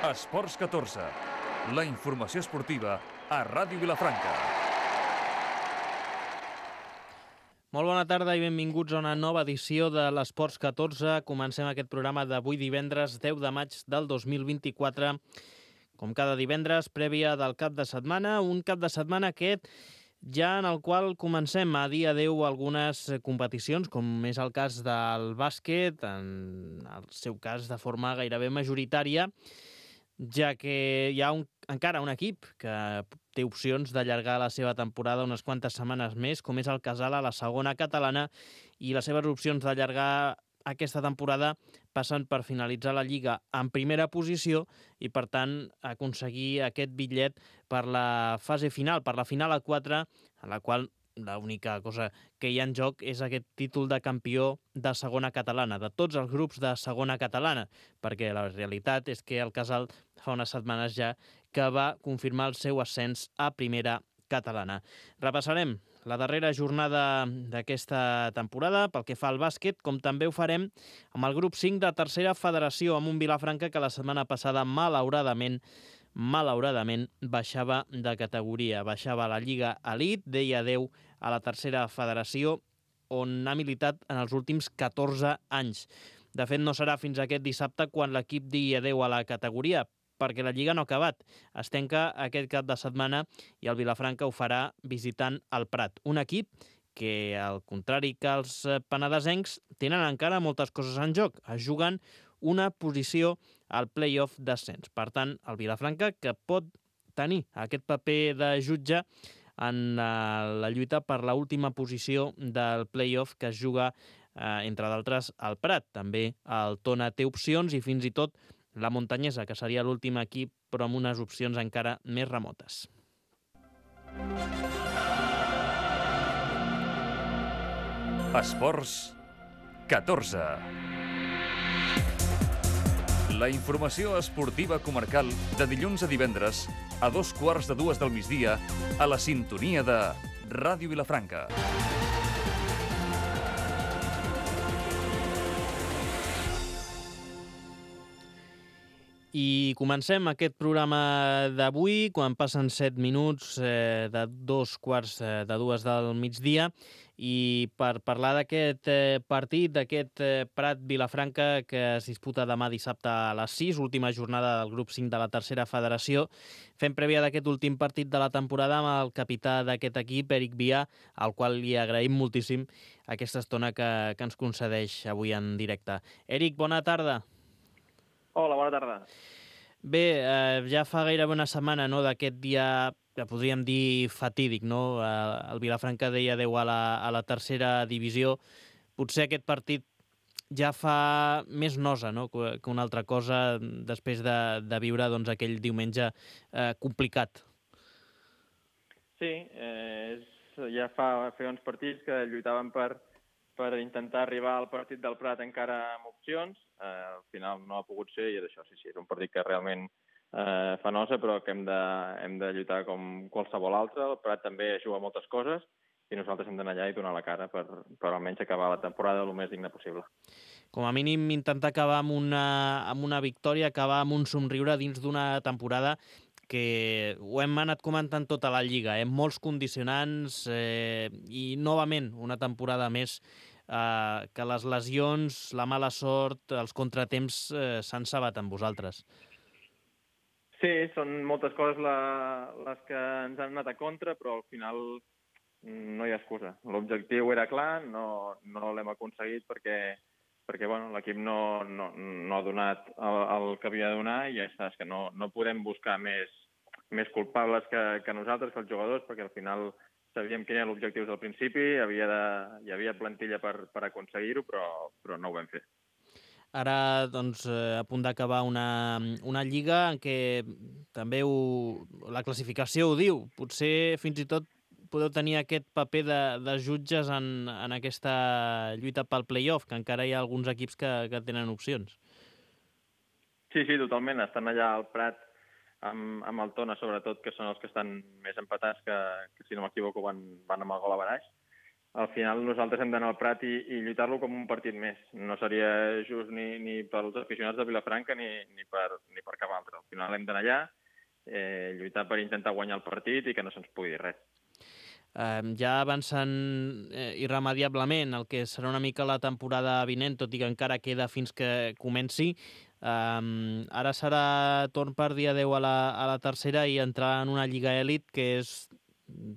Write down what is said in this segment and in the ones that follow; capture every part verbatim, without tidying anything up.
Esports catorze, la informació esportiva a Ràdio Vilafranca. Molt bona tarda i benvinguts a una nova edició de l'Esports catorze. Comencem aquest programa d'avui divendres deu de maig del dos mil vint-i-quatre. Com cada divendres, prèvia del cap de setmana, un cap de setmana aquest ja en el qual comencem a dir adeu a algunes competicions, com és el cas del bàsquet, en el seu cas de forma gairebé majoritària, ja que hi ha un, encara un equip que té opcions d'allargar la seva temporada unes quantes setmanes més, com és el Casal a la segona catalana, i les seves opcions d'allargar aquesta temporada passen per finalitzar la Lliga en primera posició i, per tant, aconseguir aquest bitllet per la fase final, per la final a quatre, en la qual l'única cosa que hi ha en joc és aquest títol de campió de segona catalana, de tots els grups de segona catalana, perquè la realitat és que el Casal fa unes setmanes ja que va confirmar el seu ascens a primera catalana. Repassarem la darrera jornada d'aquesta temporada pel que fa al bàsquet, com també ho farem amb el grup cinc de tercera federació, amb un Vilafranca que la setmana passada malauradament malauradament baixava de categoria, baixava a la Lliga Elite, deia adeu a la tercera federació, on ha militat en els últims catorze anys. De fet, no serà fins aquest dissabte quan l'equip digui adeu a la categoria, perquè la Lliga no ha acabat. Es tanca aquest cap de setmana i el Vilafranca ho farà visitant el Prat. Un equip que, al contrari que els penedesencs, tenen encara moltes coses en joc. Es juguen una posició al play-off d'ascens. Per tant, el Vilafranca, que pot tenir aquest paper de jutge en la lluita per l'última posició del play-off que es juga, eh, entre d'altres, al Prat. També el Tona té opcions i fins i tot la Muntanyesa, que seria l'últim equip, però amb unes opcions encara més remotes. Esports catorze. La informació esportiva comarcal de dilluns a divendres a dos quarts de dues del migdia a la sintonia de Ràdio Vilafranca. I comencem aquest programa d'avui, quan passen set minuts eh, de dos quarts de dues del migdia, i per parlar d'aquest eh, partit, d'aquest eh, Prat Vilafranca que es disputa demà dissabte a les sis, última jornada del grup cinc de la tercera federació, fem prèvia d'aquest últim partit de la temporada amb el capità d'aquest equip, Eric Vià, al qual li agraïm moltíssim aquesta estona que, que ens concedeix avui en directe. Eric, bona tarda. Hola, bona tarda. Bé, eh, ja fa gairebé una setmana, no?, d'aquest dia que podríem dir fatídic, no? Eh, el Vilafranca deia adeu a la, a la tercera divisió. Potser aquest partit ja fa més nosa, no?, que, que una altra cosa després de, de viure, doncs, aquell diumenge eh, complicat. Sí, eh, és, ja fa, fa uns partits que lluitaven per, per intentar arribar al partit del Prat encara amb opcions. Eh, al final no ha pogut ser i és això, sí, sí, és un partit que realment eh, fa nosa, però que hem de, hem de lluitar com qualsevol altre. El Prat també juga moltes coses i nosaltres hem d'anar allà i donar la cara per, per almenys acabar la temporada el més digne possible. Com a mínim intentar acabar amb una, amb una victòria, acabar amb un somriure dins d'una temporada que ho hem anat comentant tota la Lliga, eh? Molts condicionants eh, i, novament, una temporada més eh, que les lesions, la mala sort, els contratemps eh, s'han cebat amb vosaltres. Sí, són moltes coses la, les que ens han anat a contra, però al final no hi ha excusa. L'objectiu era clar, no, no l'hem aconseguit perquè, perquè bueno, l'equip no, no, no ha donat el, el que havia de donar i ja està, és que no, no podem buscar més, més culpables que, que nosaltres, que els jugadors, perquè al final sabíem quin era l'objectiu del principi, havia de, hi havia plantilla per, per aconseguir-ho, però, però no ho vam fer. Ara, doncs, a punt d'acabar una, una lliga en què també ho, la classificació ho diu. Potser fins i tot podeu tenir aquest paper de, de jutges en, en aquesta lluita pel play-off, que encara hi ha alguns equips que, que tenen opcions. Sí, sí, totalment. Estan allà al Prat amb, amb el Tona, sobretot, que són els que estan més empatats, que, que si no m'equivoco van, van amb el gol a baraix. al final nosaltres hem d'anar al Prat i, i lluitar-lo com un partit més. No seria just ni, ni pels aficionats de Vilafranca ni, ni, per, ni per cap altre. Al final hem d'anar allà, eh, lluitar per intentar guanyar el partit i que no se'ns pugui dir res. Eh, ja avancen eh, irremediablement el que serà una mica la temporada vinent, tot i que encara queda fins que comenci. Um, ara serà torn per dia deu a la, a la tercera i entrar en una lliga elit que és,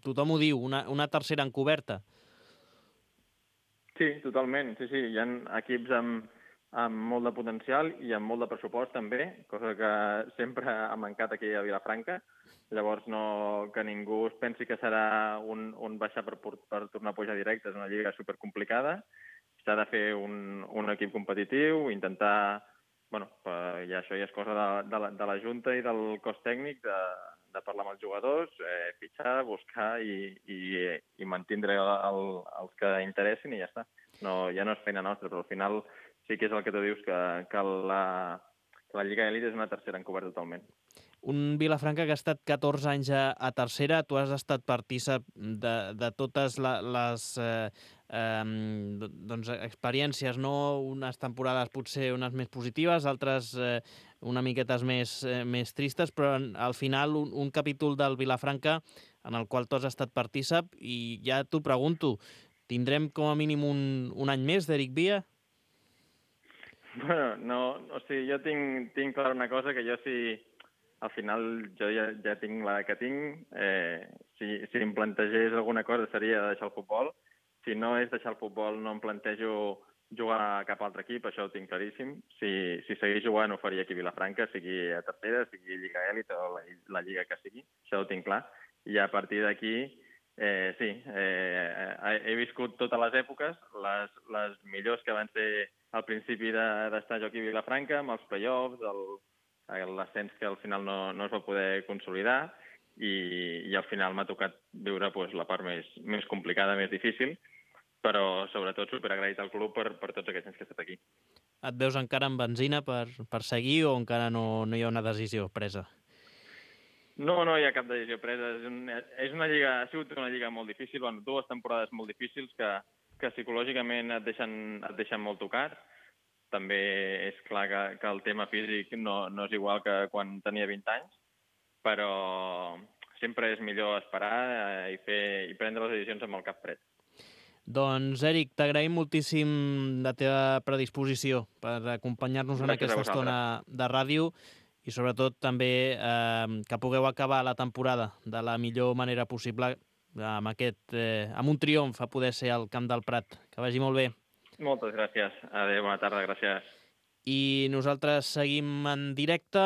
tothom ho diu, una, una tercera encoberta. Sí, totalment. Sí, sí. Hi ha equips amb, amb molt de potencial i amb molt de pressupost també, cosa que sempre ha mancat aquí a Vilafranca. Llavors, no, que ningú es pensi que serà un, un baixar per, per tornar a pujar directe. És una lliga supercomplicada. S'ha de fer un, un equip competitiu, intentar... Bueno, i això ja és cosa de, de, la, de la Junta i del cos tècnic de, de parlar amb els jugadors, eh, fitxar, buscar i, i, i mantindre el, el, els que interessin i ja està. No, ja no és feina nostra, però al final sí que és el que tu dius, que, que la, que la Lliga Elite és una tercera encoberta totalment. Un Vilafranca que ha estat catorze anys a, a tercera, tu has estat partícip de, de totes la, les eh, eh, doncs, experiències, no? Unes temporades potser unes més positives, altres eh, una miquetes més, eh, més tristes, però al final un, un capítol del Vilafranca en el qual tu has estat partícip i ja t'ho pregunto, tindrem com a mínim un, un any més d'Eric Via? Bueno, no, o sigui, jo tinc, tinc clar una cosa, que jo si... Al final jo ja, ja tinc la que tinc. Eh, si, si em plantegés alguna cosa seria deixar el futbol. Si no és deixar el futbol, no em plantejo jugar a cap altre equip, això ho tinc claríssim. Si, si seguís jugant ho faria aquí a Vilafranca, sigui a tercera, sigui Lliga Elit o la, la lliga que sigui, això ho tinc clar. I a partir d'aquí, eh, sí, eh, he viscut totes les èpoques, les, les millors que van ser al principi d'estar jo aquí a Vilafranca, amb els play-offs, el l'ascens que al final no, no es va poder consolidar i, i al final m'ha tocat viure pues, la part més, més complicada, més difícil, però sobretot superagraït al club per, per tots aquests anys que he estat aquí. Et veus encara amb benzina per, per seguir o encara no, no hi ha una decisió presa? No, no hi ha cap decisió presa. És, un, és una lliga, ha sigut una lliga molt difícil, bueno, dues temporades molt difícils que, que psicològicament et deixen, et deixen molt tocat. També és clar que, que el tema físic no, no és igual que quan tenia vint anys, però sempre és millor esperar eh, i, fer, i prendre les decisions amb el cap fred. Doncs, Eric, t'agraïm moltíssim la teva predisposició per acompanyar-nos en aquesta estona de ràdio i sobretot també eh, que pugueu acabar la temporada de la millor manera possible amb, aquest, eh, amb un triomf a poder ser al Camp del Prat. Que vagi molt bé. Moltes gràcies. Adéu, bona tarda, gràcies. I nosaltres seguim en directe.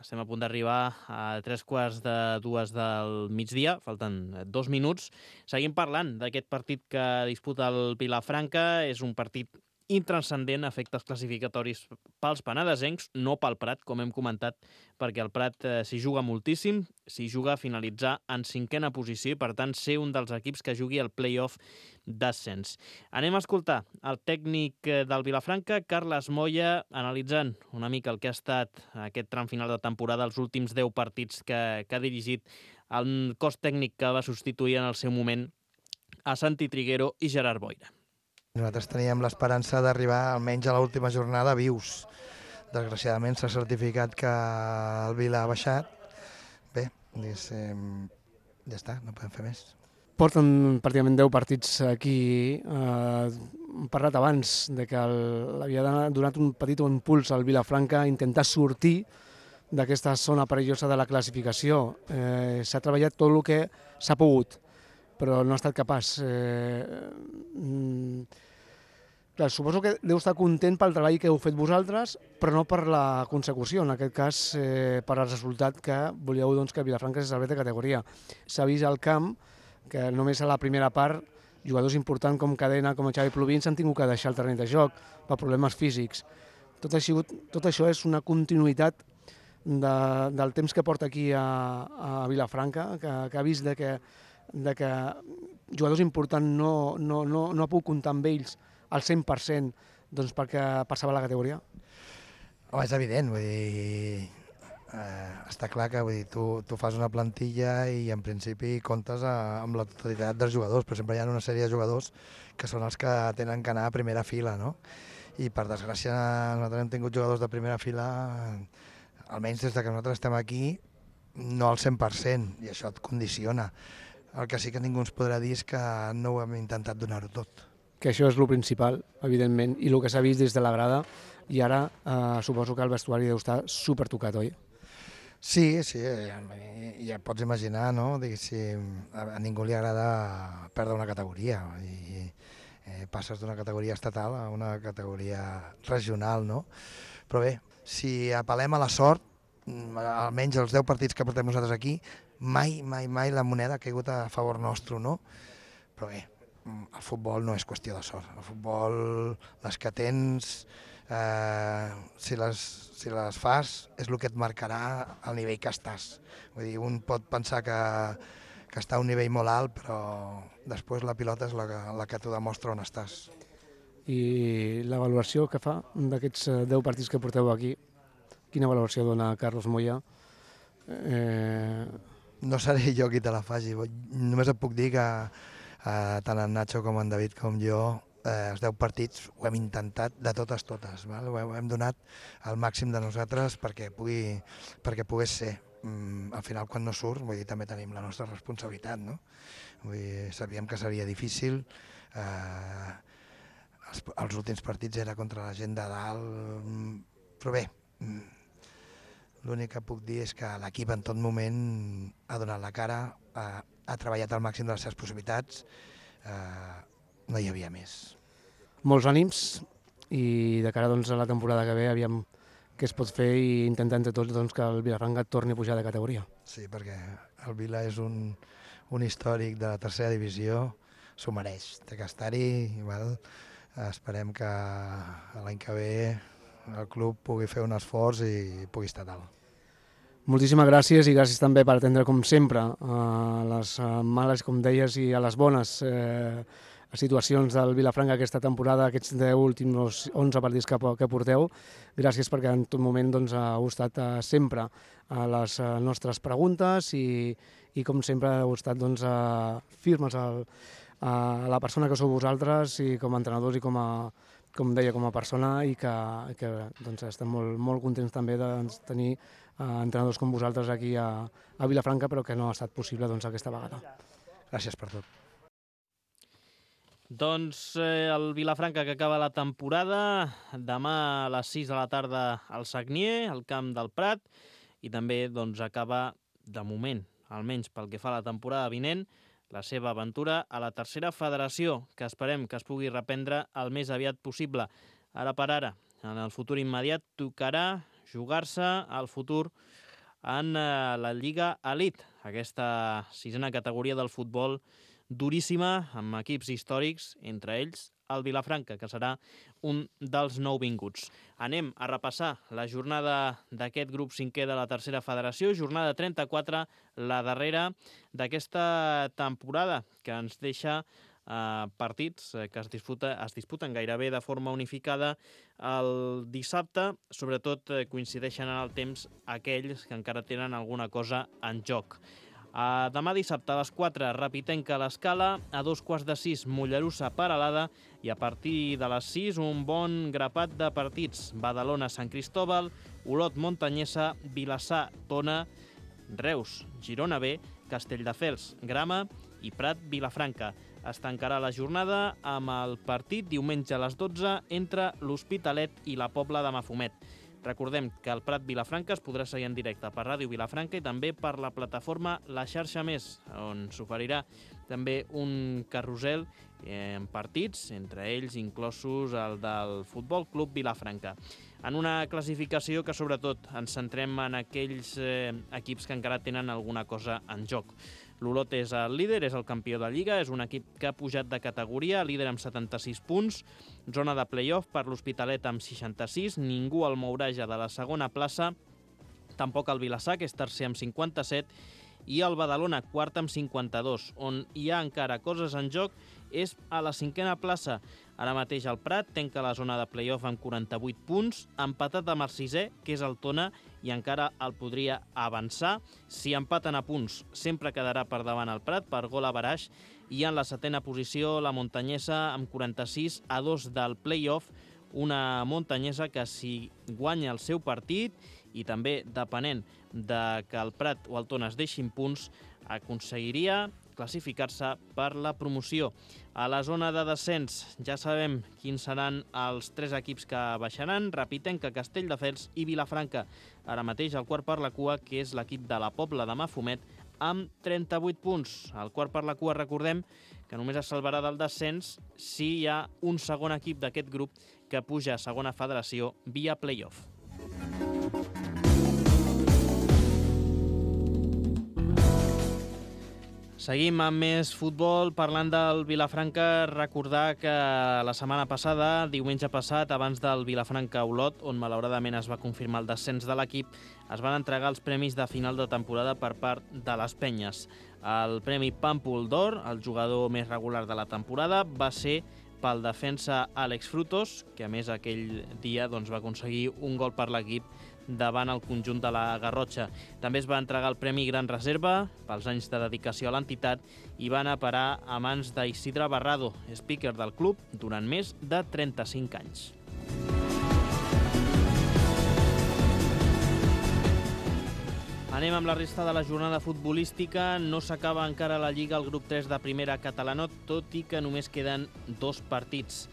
Estem a punt d'arribar a tres quarts de dues del migdia. Falten dos minuts. Seguim parlant d'aquest partit que disputa el Vilafranca. És un partit intranscendent a efectes classificatoris pels penedesencs, no pel Prat, com hem comentat, perquè el Prat eh, s'hi juga moltíssim, s'hi juga a finalitzar en cinquena posició i, per tant, ser un dels equips que jugui el play-off d'ascens. Anem a escoltar el tècnic del Vilafranca, Carles Moya, analitzant una mica el que ha estat aquest tram final de temporada, els últims deu partits que, que ha dirigit el cos tècnic que va substituir en el seu moment a Santi Triguero i Gerard Boira. Nosaltres teníem l'esperança d'arribar almenys a l'última jornada vius. Desgraciadament s'ha certificat que el Vila ha baixat. Bé, diguéssim, ja està, no podem fer més. Porten pràcticament deu partits aquí. Eh, hem parlat abans de que havia donat un petit impuls al Vilafranca a intentar sortir d'aquesta zona perillosa de la classificació. Eh, s'ha treballat tot el que s'ha pogut, però no ha estat capaç. Eh, mm, clar, suposo que deu estar content pel treball que heu fet vosaltres, però no per la consecució, en aquest cas eh, per al resultat que volíeu doncs, que Vilafranca se salvés de categoria. S'ha vist al camp que només a la primera part jugadors importants com Cadena, com Xavi Plovins s'han tingut que deixar el terreny de joc per problemes físics. Tot, ha sigut, tot això és una continuïtat de, del temps que porta aquí a, a Vilafranca, que, que ha vist de que de que jugadors importants no, no, no, no ha pogut comptar amb ells al cent per cent doncs perquè passava la categoria? Home, és evident, vull dir, eh, està clar que vull dir, tu, tu fas una plantilla i en principi comptes a, amb la totalitat dels jugadors, però sempre hi ha una sèrie de jugadors que són els que tenen que anar a primera fila, no? I per desgràcia nosaltres hem tingut jugadors de primera fila, almenys des de que nosaltres estem aquí, no al cent per cent, i això et condiciona. El que sí que ningú ens podrà dir és que no ho hem intentat donar-ho tot. Que això és el principal, evidentment, i el que s'ha vist des de la grada, i ara eh, suposo que el vestuari deu estar supertocat, oi? Sí, sí, ja, ja pots imaginar, no? Diguéssim, a, a ningú li agrada perdre una categoria i eh, passes d'una categoria estatal a una categoria regional, no? Però bé, si apel·lem a la sort, almenys els deu partits que portem nosaltres aquí, mai, mai, mai la moneda ha caigut a favor nostre, no? Però bé, el futbol no és qüestió de sort. El futbol, les que tens, eh, si, les, si les fas, és el que et marcarà el nivell que estàs. Vull dir, un pot pensar que, que està a un nivell molt alt, però després la pilota és la que, la que t'ho demostra on estàs. I la valoració que fa d'aquests deu partits que porteu aquí, quina valoració dona Carlos Moya? Eh... No seré jo qui te la faci, només et puc dir que eh, tant en Nacho com en David com jo, eh, els deu partits ho hem intentat de totes totes, val? Ho hem donat al màxim de nosaltres perquè, pugui, perquè pogués ser. Mm, al final quan no surt, vull dir, també tenim la nostra responsabilitat, no? Vull dir, sabíem que seria difícil, eh, els, els últims partits era contra la gent de dalt, però bé, l'únic que puc dir és que l'equip en tot moment ha donat la cara, ha, ha treballat al màxim de les seves possibilitats, eh, no hi havia més. Molts ànims i de cara doncs, a la temporada que ve aviam què es pot fer i intentar entre tots doncs, que el Vilafranca torni a pujar de categoria. Sí, perquè el Vila és un, un històric de la tercera divisió, s'ho mereix, té que estar-hi, val? Esperem que l'any que ve el club pugui fer un esforç i pugui estar dalt. Moltíssimes gràcies i gràcies també per atendre, com sempre, a les males, com deies, i a les bones eh, situacions del Vilafranca aquesta temporada, aquests deu últims onze partits que, que porteu. Gràcies perquè en tot moment doncs, heu estat eh, sempre a les eh, nostres preguntes i, i com sempre heu estat doncs, eh, firmes al, a la persona que sou vosaltres i com a entrenadors i com a com deia, com a persona i que, que doncs, estem molt, molt contents també de tenir eh, entrenadors com vosaltres aquí a, a Vilafranca, però que no ha estat possible doncs, aquesta vegada. Gràcies per tot. Doncs eh, el Vilafranca que acaba la temporada, demà a les sis de la tarda al Sagnier, al camp del Prat, i també doncs, acaba, de moment, almenys pel que fa a la temporada vinent, la seva aventura a la tercera federació, que esperem que es pugui reprendre el més aviat possible. Ara per ara, en el futur immediat, tocarà jugar-se al futur en la Lliga Elite, aquesta sisena categoria del futbol duríssima, amb equips històrics, entre ells el Vilafranca, que serà un dels nouvinguts. Anem a repassar la jornada d'aquest grup cinquè de la tercera federació, jornada trenta-quatre, la darrera d'aquesta temporada, que ens deixa eh, partits que es, disputa, es disputen gairebé de forma unificada el dissabte. Sobretot eh, coincideixen en el temps aquells que encara tenen alguna cosa en joc. Uh, demà dissabte a les quatre, Rapitenca a l'Escala, a dos quarts de sis, Mollerussa Peralada, i a partir de les sis un bon grapat de partits. Badalona Sant Cristóbal, Olot Montanyesa, Vilassar Tona, Reus Girona B, Castelldefels Grama i Prat Vilafranca. Es tancarà la jornada amb el partit diumenge a les dotze entre l'Hospitalet i la Pobla de Mafumet. Recordem que el Prat Vilafranca es podrà seguir en directe per Ràdio Vilafranca i també per la plataforma La Xarxa Més, on s'oferirà també un carrusel en partits, entre ells inclosos el del Futbol Club Vilafranca. En una classificació que sobretot ens centrem en aquells eh, equips que encara tenen alguna cosa en joc. L'Olot és el líder, és el campió de Lliga, és un equip que ha pujat de categoria, líder amb setanta-sis punts, zona de play-off per l'Hospitalet amb seixanta-sis, ningú el mourà ja de la segona plaça, tampoc el Vilassar, que és tercer amb cinquanta-set, i el Badalona, quart amb cinquanta-dos, on hi ha encara coses en joc és a la cinquena plaça. Ara mateix el Prat tanca la zona de play-off amb quaranta-vuit punts, empatat amb el sisè, que és el Tona, i encara el podria avançar. Si empaten a punts, sempre quedarà per davant el Prat per gol average, i en la setena posició la Montanyesa amb quaranta-sis a dos del play-off, una Montanyesa que si guanya el seu partit i també depenent de que el Prat o el Tona es deixin punts, aconseguiria classificar-se per la promoció. A la zona de descens ja sabem quins seran els tres equips que baixaran: Rapitenca, Castelldefels i Vilafranca. Ara mateix el quart per la cua, que és l'equip de la Pobla de Mafumet, amb trenta-vuit punts. El quart per la cua, recordem, que només es salvarà del descens si hi ha un segon equip d'aquest grup que puja a segona federació via play-off. Seguim amb més futbol. Parlant del Vilafranca, recordar que la setmana passada, diumenge passat, abans del Vilafranca-Olot, on malauradament es va confirmar el descens de l'equip, es van entregar els premis de final de temporada per part de les penyes. El premi Pàmpol d'Or, el jugador més regular de la temporada, va ser pel defensa Àlex Frutos, que a més aquell dia doncs, va aconseguir un gol per l'equip davant el conjunt de la Garrotxa. També es va entregar el Premi Gran Reserva pels anys de dedicació a l'entitat i va anar a parar a mans d'Isidre Barrado, speaker del club durant més de trenta-cinc anys. Anem amb la resta de la jornada futbolística. No s'acaba encara la Lliga al grup tres de primera catalana, tot i que només queden dos partits.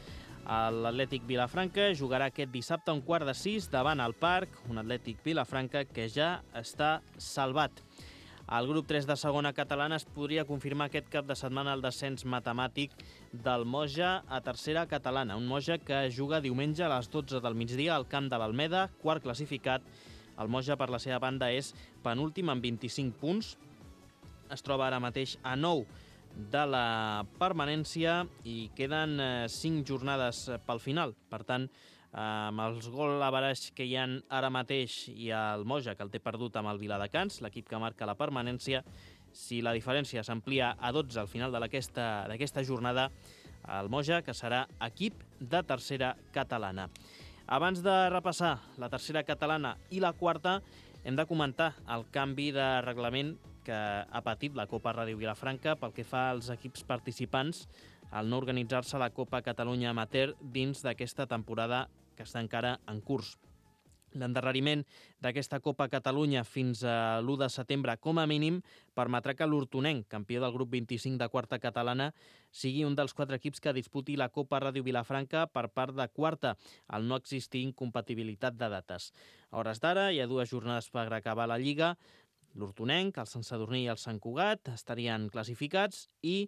L'Atlètic Vilafranca jugarà aquest dissabte a un quart de sis davant el Parc, un Atlètic Vilafranca que ja està salvat. Al grup tres de segona catalana es podria confirmar aquest cap de setmana el descens matemàtic del Moja a tercera catalana, un Moja que juga diumenge a les dotze del migdia al camp de l'Almeda, quart classificat. El Moja, per la seva banda, és penúltim amb vint-i-cinc punts, es troba ara mateix a nou de la permanència i queden cinc jornades pel final. Per tant, amb els gol average que hi ha ara mateix i el Moja, que el té perdut amb el Viladecans, l'equip que marca la permanència, si la diferència s'amplia a dotze al final d'aquesta jornada, el Moja, que serà equip de tercera catalana. Abans de repassar la tercera catalana i la quarta, hem de comentar el canvi de reglament que ha patit la Copa Ràdio Vilafranca pel que fa als equips participants al no organitzar-se la Copa Catalunya Amateur dins d'aquesta temporada que està encara en curs. L'endarreriment d'aquesta Copa Catalunya fins a l'u de setembre, com a mínim, permetrà que l'Hortonenc, campió del grup vint-i-cinc de quarta catalana, sigui un dels quatre equips que disputi la Copa Ràdio Vilafranca per part de quarta, al no existir incompatibilitat de dates. A hores d'ara hi ha dues jornades per acabar la Lliga. L'Hortonenc, el Sant Sadurní i el Sant Cugat estarien classificats i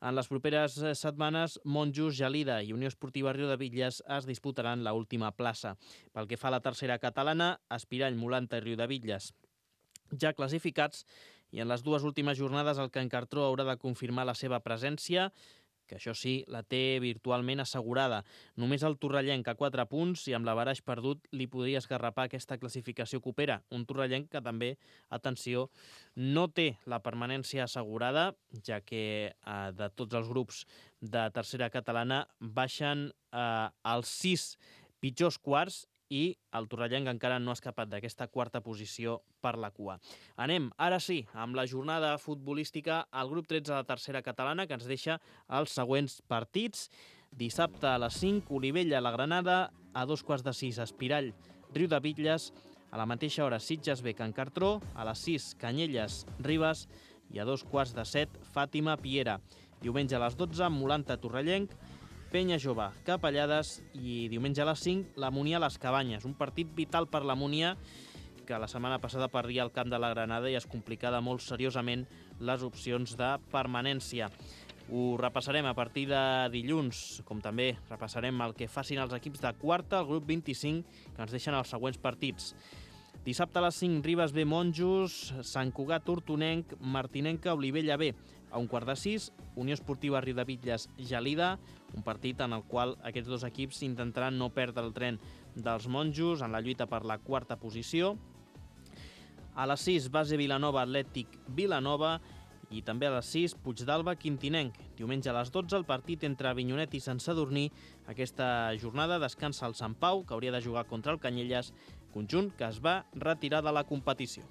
en les properes setmanes Monjos, Gelida i Unió Esportiva Riudebitlles es disputaran l'última plaça. Pel que fa a la tercera catalana, Espirall, Molanta i Riudebitlles ja classificats i en les dues últimes jornades el Can Cartró haurà de confirmar la seva presència, que això sí, la té virtualment assegurada. Només el torrellenc a quatre punts i amb l'averaix perdut li podria esgarrapar aquesta classificació copera. Un torrellenc que també, atenció, no té la permanència assegurada, ja que eh, de tots els grups de tercera catalana baixen eh, els sis pitjors quarts i el torrellenc encara no ha escapat d'aquesta quarta posició per la cua. Anem, ara sí, amb la jornada futbolística al grup tretze de la tercera catalana, que ens deixa els següents partits. Dissabte a les cinc, Olivella, la Granada, a dos quarts de sis, Espirall, Riudebitlles, a la mateixa hora, Sitges B, Can Cartró, a les sis, Canyelles, Ribes, i a dos quarts de set, Fàtima, Piera. Diumenge a les dotze, Molanta, Torrellenc, Penya Jove, Capellades i diumenge a les cinc, la Munià Les Cabanyes. Un partit vital per la Munià que la setmana passada perdia el camp de la Granada i es complicava molt seriosament les opcions de permanència. Ho repassarem a partir de dilluns, com també repassarem el que facin els equips de quarta, el grup vint-i-cinc, que ens deixen els següents partits. Dissabte a les cinc, Ribes B, Monjos, Sant Cugat, Hortonenc, Martinenca, Olivella B. A un quart de sis, Unió Esportiva Riudebitlles, Gelida, un partit en el qual aquests dos equips intentaran no perdre el tren dels monjos en la lluita per la quarta posició. A les sis, Base Vilanova, Atlètic Vilanova, i també a les sis, Puigdàlber, Quintinenc. Diumenge a les dotze, el partit entre Avinyonet i Sant Sadurní. Aquesta jornada descansa el Sant Pau, que hauria de jugar contra el Canyelles, conjunt que es va retirar de la competició.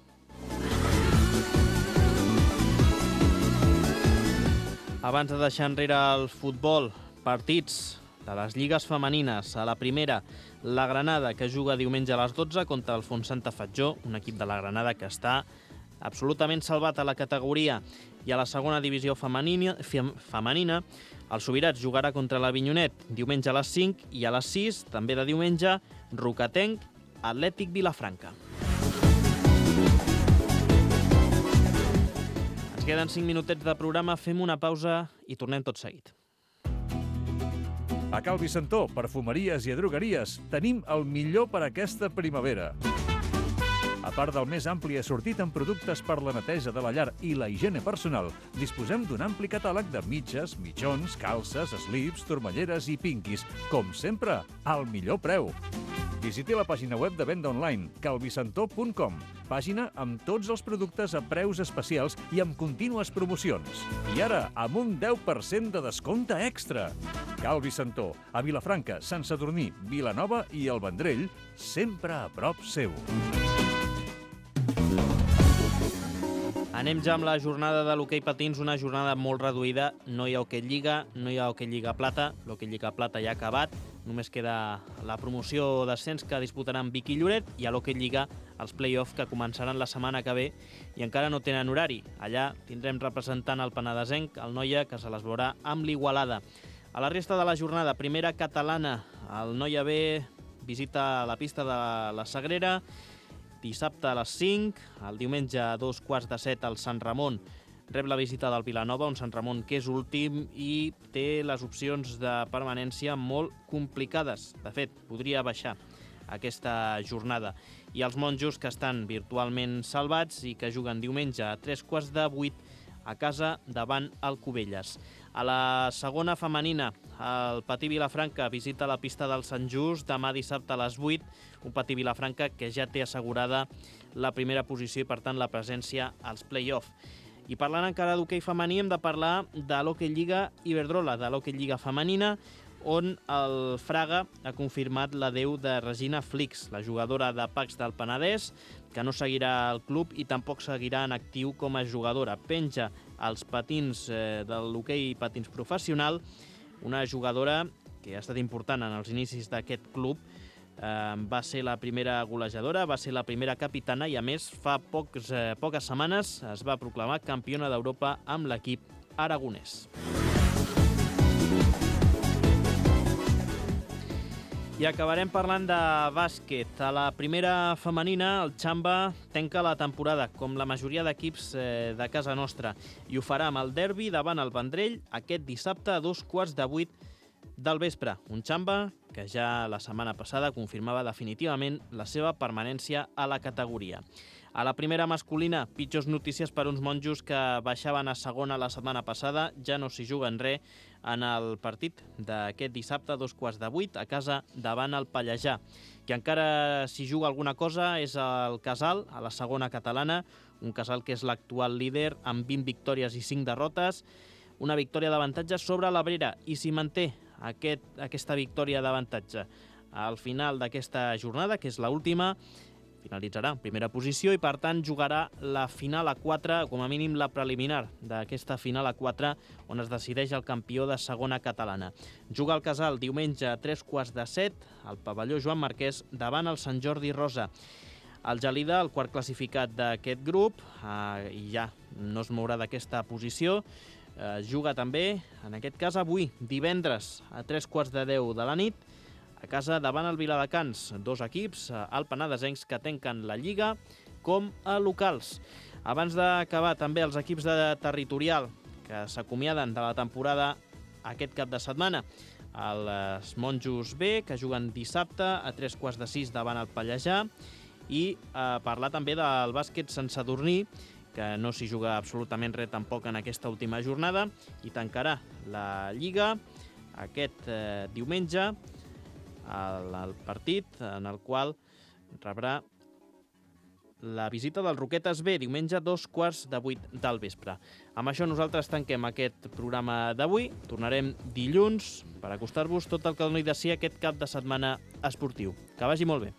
Abans de deixar enrere el futbol, partits de les lligues femenines. A la primera, la Granada, que juga diumenge a les dotze contra el Fontsanta Fatjó, un equip de la Granada que està absolutament salvat a la categoria. I a la segona divisió femenina, femenina el Subirats jugarà contra l'Avinyonet diumenge a les cinc i a les sis, també de diumenge, Rocatenc, Atlètic Vilafranca. Ens queden cinc minutets de programa, fem una pausa i tornem tot seguit. A Cal Vicentó, perfumeries i drogueries, tenim el millor per aquesta primavera. A part del més ampli assortit en productes per la neteja de la llar i la higiene personal, disposem d'un ampli catàleg de mitges, mitjons, calces, slips, turmalleres i pinquis, com sempre, al millor preu. Visiti la pàgina web de venda online, calvicentó punt com, pàgina amb tots els productes a preus especials i amb contínues promocions. I ara, amb un deu per cent de descompte extra. Cal Vicentó, a Vilafranca, Sant Sadurní, Vilanova i el Vendrell, sempre a prop seu. Anem ja amb la jornada de l'hoquei patins, una jornada molt reduïda. No hi ha hoquei lliga, no hi ha hoquei lliga plata. L'hoquei lliga plata ja ha acabat. Només queda la promoció d'ascens que disputaran Vic i Lloret i a l'hoquei lliga els play-off que començaran la setmana que ve i encara no tenen horari. Allà tindrem representant el penedesenc, el Noia, que se les veurà amb l'Igualada. A la resta de la jornada, primera catalana, el Noia B visita la pista de la Sagrera, dissabte a les cinc, el diumenge a dos quarts de set al Sant Ramon rep la visita del Vilanova, un Sant Ramon que és últim i té les opcions de permanència molt complicades. De fet, podria baixar aquesta jornada. I els monjos que estan virtualment salvats i que juguen diumenge a tres quarts de vuit a casa davant el Cubelles. A la segona femenina, el Patí Vilafranca visita la pista del Sant Just demà dissabte a les vuit, un Patí Vilafranca que ja té assegurada la primera posició i, per tant, la presència als play-off. I parlant encara d'hoquei femení, hem de parlar de l'Hoquei Lliga Iberdrola, de l'Hoquei Lliga femenina, on el Fraga ha confirmat l'adeu de Regina Flix, la jugadora de Pacs del Penedès, que no seguirà al club i tampoc seguirà en actiu com a jugadora. Penja als patins eh, de l'hoquei patins professional, una jugadora que ha estat important en els inicis d'aquest club. Eh, va ser la primera golejadora, va ser la primera capitana i, a més, fa pocs, eh, poques setmanes es va proclamar campiona d'Europa amb l'equip aragonès. I acabarem parlant de bàsquet. A la primera femenina, el Xamba tanca la temporada, com la majoria d'equips eh, de casa nostra, i ho farà amb el derbi davant el Vendrell aquest dissabte a dos quarts de vuit del vespre. Un Xamba que ja la setmana passada confirmava definitivament la seva permanència a la categoria. A la primera masculina, pitjors notícies per uns monjos que baixaven a segona la setmana passada. Ja no s'hi juguen res en el partit d'aquest dissabte a dos quarts de vuit a casa davant el Pallejà. Qui encara s'hi juga alguna cosa és el Casal, a la segona catalana, un Casal que és l'actual líder amb vint victòries i cinc derrotes, una victòria d'avantatge sobre l'Abrera, i s'hi manté aquest, aquesta victòria d'avantatge. Al final d'aquesta jornada, que és l'última, finalitzarà en primera posició i, per tant, jugarà la final a quatre, com a mínim la preliminar d'aquesta final a quatre, on es decideix el campió de segona catalana. Juga el Casal diumenge a tres quarts de set al pavelló Joan Marquès davant el Sant Jordi Rosa. El Gelida, el quart classificat d'aquest grup, eh, i ja no es mourà d'aquesta posició, eh, juga també, en aquest cas avui, divendres a tres quarts de deu de la nit, a casa davant el Viladecans, dos equips, el penedesencs, que tanquen la Lliga com a locals. Abans d'acabar, també els equips de territorial que s'acomiaden de la temporada aquest cap de setmana. Els Monjos B, que juguen dissabte a tres quarts de sis davant el Pallejà, i eh, parlar també del bàsquet Sant Sadurní, que no s'hi juga absolutament res tampoc en aquesta última jornada, i tancarà la Lliga aquest eh, diumenge, el, el partit en el qual rebrà la visita del Roquetes B, diumenge dos quarts de vuit del vespre. Amb això nosaltres tanquem aquest programa d'avui. Tornarem dilluns per acostar-vos tot el que doni de si aquest cap de setmana esportiu. Que vagi molt bé.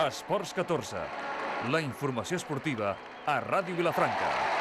Esports catorze. La informació esportiva a Ràdio Vilafranca.